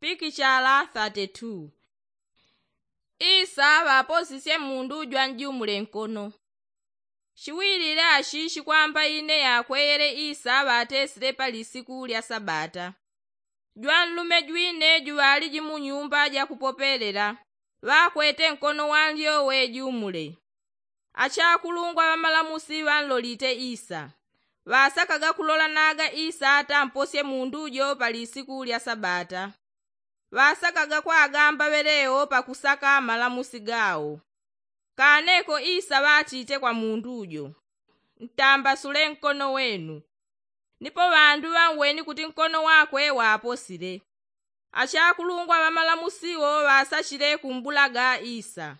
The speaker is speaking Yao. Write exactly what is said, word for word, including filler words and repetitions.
Pikichala thirty two. Isa ŵaposisye mundu jwanjumule nkono. Shiwilile ashishi kwamba ine yakweyele isa ŵatesile pa lisiku lya sabata. Jwanlume jwine juŵaliji mu nyumba jakupopelela, ŵakwete nkono wanlyowe jumule. Achakulungwa ŵamalamusi ŵanlolite isa, ŵasakaga kulolanaga isa atamposye mundu jo pa lisiku lya sabata. Ŵasakaga kwagamba ŵeleo pakusaka malamusi gao. Kaneko isa ŵatite kwa mundu jo, ntambasule nkono wenu. Nipo ŵandu ŵanweni kuti nkono wakwe waposile. Achakulungwa ŵamalamusi wo ŵasachile kumbulaga isa.